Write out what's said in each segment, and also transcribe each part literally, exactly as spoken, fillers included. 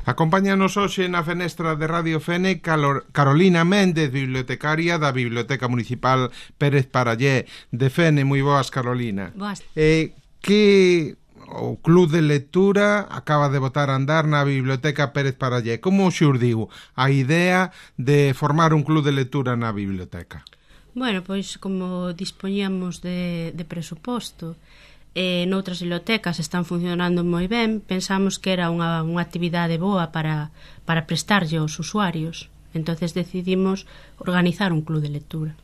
Acompáñanos hoxe na fenestra de Radio Fene Carolina Méndez, bibliotecaria da Biblioteca Municipal Pérez Parallé de Fene. Moi boas, Carolina. Boas. Eh, que o Club de Lectura acaba de botar a andar na Biblioteca Pérez Parallé. Como xurdiu a idea de formar un club de lectura na biblioteca? Bueno, pois como dispoñíamos de, de presuposto, e noutras bibliotecas están funcionando moi ben, pensamos que era unha, unha actividade boa para, para prestarlle aos usuarios. Entonces decidimos organizar un club de lectura.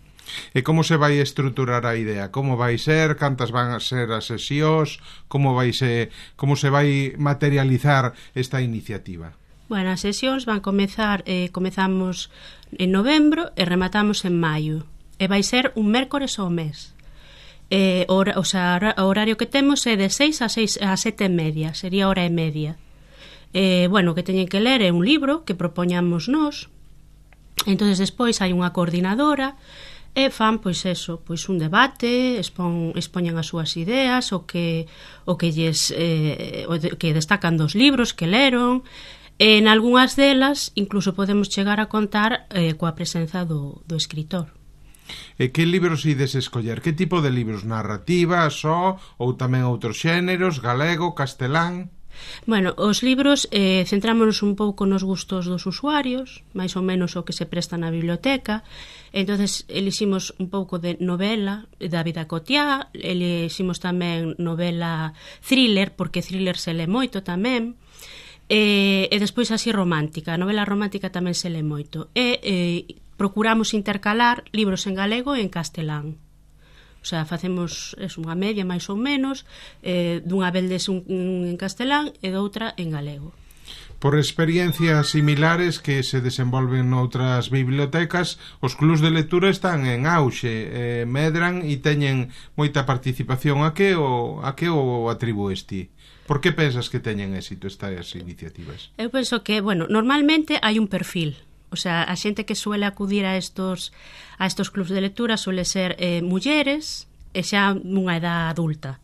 E como se vai estruturar a idea? Como vai ser? Cantas van a ser as sesións? Como vai se, como se vai materializar esta iniciativa? Bueno, as sesións van comezar, eh, comezamos en novembro e rematamos en maio. E vai ser un mércores ao mes. Eh, o, o, sea, o horario que temos é de seis a seis a sete e media, sería hora e media. Eh, bueno, que teñen que ler é un libro que propoñamos nós. Entonces despois hai unha coordinadora e fan, pois eso, pois un debate, expon, expoñan as súas ideas, o que o que lles eh, o de, que destacan dos libros que leron. En algunhas delas incluso podemos chegar a contar eh, coa presenza do, do escritor. E que libros ides escoller? Que tipo de libros? Narrativa, só, ou tamén outros xéneros, galego, castelán? Bueno, os libros eh, centrámonos un pouco nos gustos dos usuarios, máis ou menos o que se presta na biblioteca. Entonces eliximos un pouco de novela da vida cotiá, eliximos tamén novela thriller, porque thriller se le moito tamén. E, e despois así romántica, a novela romántica tamén se le moito. E eh, procuramos intercalar libros en galego e en castelán. O sea, facemos es, unha media máis ou menos, eh, dunha veldes un, un en castelán e doutra en galego. Por experiencias similares que se desenvolven noutras bibliotecas, os clubs de lectura están en auxe, eh, medran e teñen moita participación. A que o, a que o atribúes ti? Por que pensas que teñen éxito estas iniciativas? Eu penso que, bueno, normalmente hai un perfil. O sea, a xente que suele acudir a estos a estos clubs de lectura suele ser eh, mulleres e xa nunha edad adulta.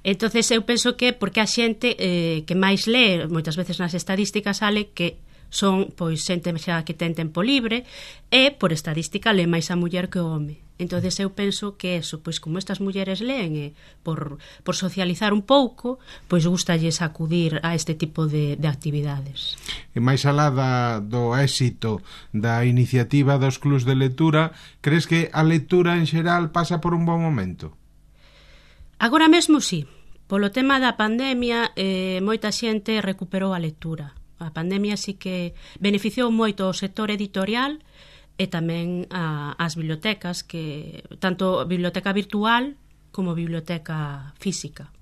Entonces eu penso que porque a xente eh, que máis lee, moitas veces nas estadísticas sale que son pois xente xa que ten tempo libre e por estadística lee máis a muller que o home. Entonces eu penso que eso, pois como estas mulleres leen e por, por socializar un pouco, pois gustalles acudir a este tipo de, de actividades. E máis alá da, do éxito da iniciativa dos clubs de lectura, crees que a lectura en xeral pasa por un bon momento? Agora mesmo sí. Polo tema da pandemia, eh, moita xente recuperou a lectura. A pandemia sí que beneficiou moito o sector editorial e tamén a, as bibliotecas, que tanto biblioteca virtual como biblioteca física.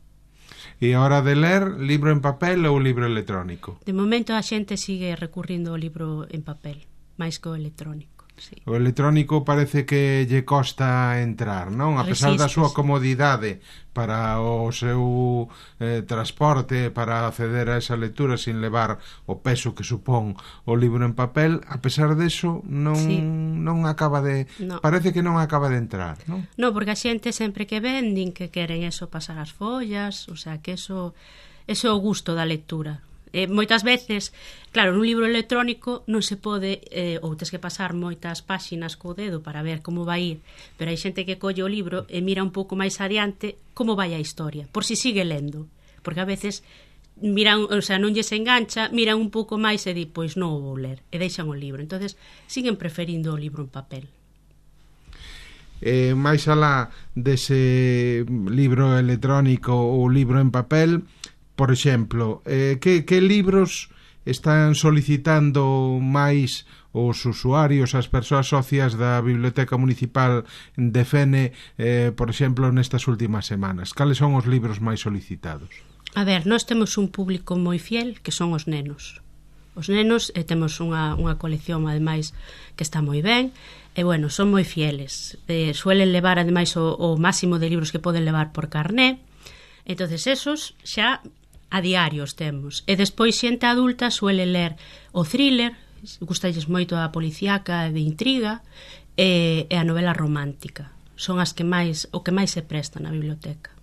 E a hora de ler, libro en papel ou libro electrónico? De momento a xente sigue recurrindo ao libro en papel, máis que o electrónico. Sí. O electrónico parece que lle costa entrar, non? A pesar da súa comodidade para o seu eh, transporte, para acceder a esa lectura sin levar o peso que supón o libro en papel, a pesar deso non, sí. non acaba de... No. Parece que non acaba de entrar, non? Non, porque a xente sempre que ven din que queren eso, pasar as follas, o sea, que eso, eso é o gusto da lectura. Eh, moitas veces, claro, nun libro electrónico non se pode, eh, ou tes que pasar moitas páxinas co dedo para ver como vai ir, pero hai xente que colle o libro e mira un pouco máis adiante como vai a historia, por si sigue lendo, porque a veces miran, o sea, non lles engancha, miran un pouco máis e di, pois non o vou ler, e deixan o libro. Entonces siguen preferindo o libro en papel. Eh, máis alá dese libro electrónico ou libro en papel, por exemplo, eh, que, que libros están solicitando máis os usuarios, as persoas socias da Biblioteca Municipal de Fene, eh, por exemplo, nestas últimas semanas? Cales son os libros máis solicitados? A ver, nós temos un público moi fiel, que son os nenos. Os nenos, eh, temos unha, unha colección, ademais, que está moi ben, e, bueno, son moi fieles. Eh, suelen levar, ademais, o, o máximo de libros que poden levar por carné. Entonces, esos xa a diarios temos. E despois xente adulta suele ler o thriller, gustalles moito a policíaca de intriga, e, e a novela romántica. Son as que máis, o que máis se presta na biblioteca.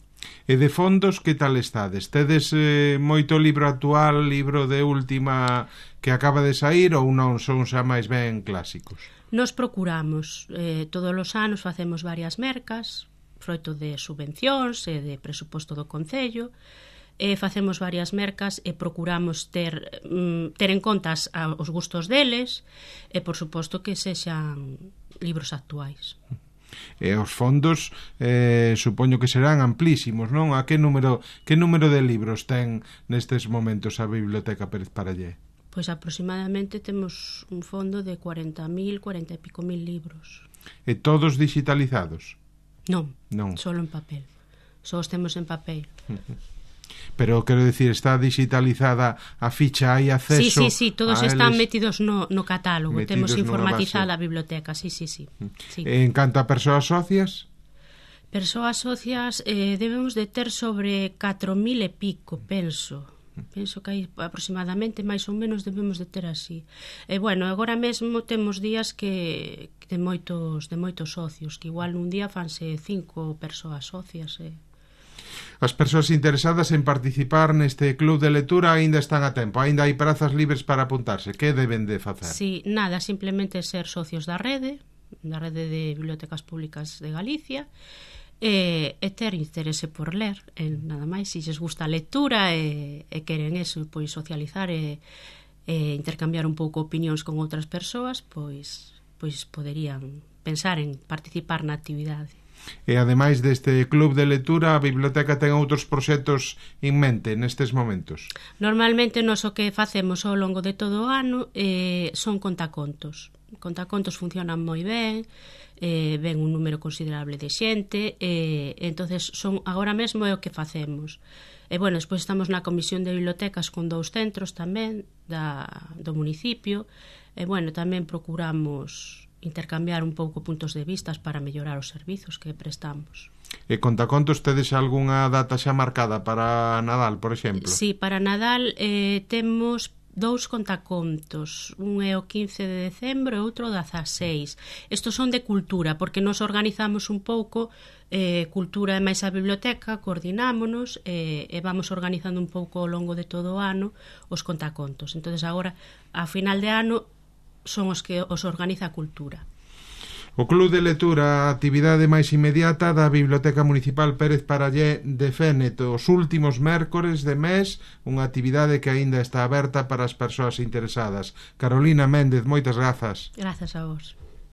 E de fondos, que tal estades? Tedes eh, moito libro actual, libro de última que acaba de sair, ou non son xa máis ben clásicos? Nos procuramos, eh, todos os anos facemos varias mercas, froito de subvencións e de presuposto do Concello, e facemos varias mercas e procuramos ter, mm, ter en conta os gustos deles e, por suposto, que sexan libros actuais. E os fondos eh, supoño que serán amplísimos, non? A que número, que número de libros ten nestes momentos a Biblioteca Pérez Parallé? Pois aproximadamente temos un fondo de cuarenta mil, cuarenta e pico mil libros. E todos digitalizados? Non, non. Solo en papel. Só os temos en papel. Pero, quero dicir, está digitalizada a ficha, hai acceso... Sí, sí, sí, todos están eles... metidos no, no catálogo. Temos informatizada a biblioteca, sí, sí, sí. sí. En canto a persoas socias? Persoas socias eh, debemos de ter sobre catro mil e pico, penso. Penso que hai aproximadamente, máis ou menos, debemos de ter así. E, bueno, agora mesmo temos días que de moitos, de moitos socios, que igual nun día fanse cinco persoas socias, eh. As persoas interesadas en participar neste club de lectura aínda están a tempo, aínda hai prazas libres para apuntarse. Que deben de facer? Sí, nada, simplemente ser socios da rede, da rede de bibliotecas públicas de Galicia, e, e ter interese por ler, e nada máis, se lles gusta a lectura e, e queren eso, pois socializar e, e intercambiar un pouco opinións con outras persoas, pois, pois poderían pensar en participar na actividade. E ademais deste club de lectura, a biblioteca ten outros proxectos en mente nestes momentos? Normalmente nós o que facemos ao longo de todo o ano eh, son contacontos. Contacontos funcionan moi ben, eh, ven un número considerable de xente, e eh, entonces son agora mesmo é o que facemos. E bueno, despois estamos na comisión de bibliotecas con dous centros tamén da, do municipio, e bueno, tamén procuramos intercambiar un pouco puntos de vistas para mellorar os servizos que prestamos. E contacontos, tedes algunha data xa marcada para Nadal, por exemplo? Sí, para Nadal eh, temos dous contacontos, un é o quince de decembro e outro o dezaseis. Estos son de cultura, porque nos organizamos un pouco, eh, cultura e máis a biblioteca, coordinámonos e, e vamos organizando un pouco ao longo de todo o ano os contacontos. Entonces agora, a final de ano, son os que os organiza a cultura. O Club de Lectura, a actividade máis inmediata da Biblioteca Municipal Pérez Parallé de Fénet, os últimos mércores de mes, unha actividade que aínda está aberta para as persoas interesadas. Carolina Méndez, moitas grazas. Grazas a vos.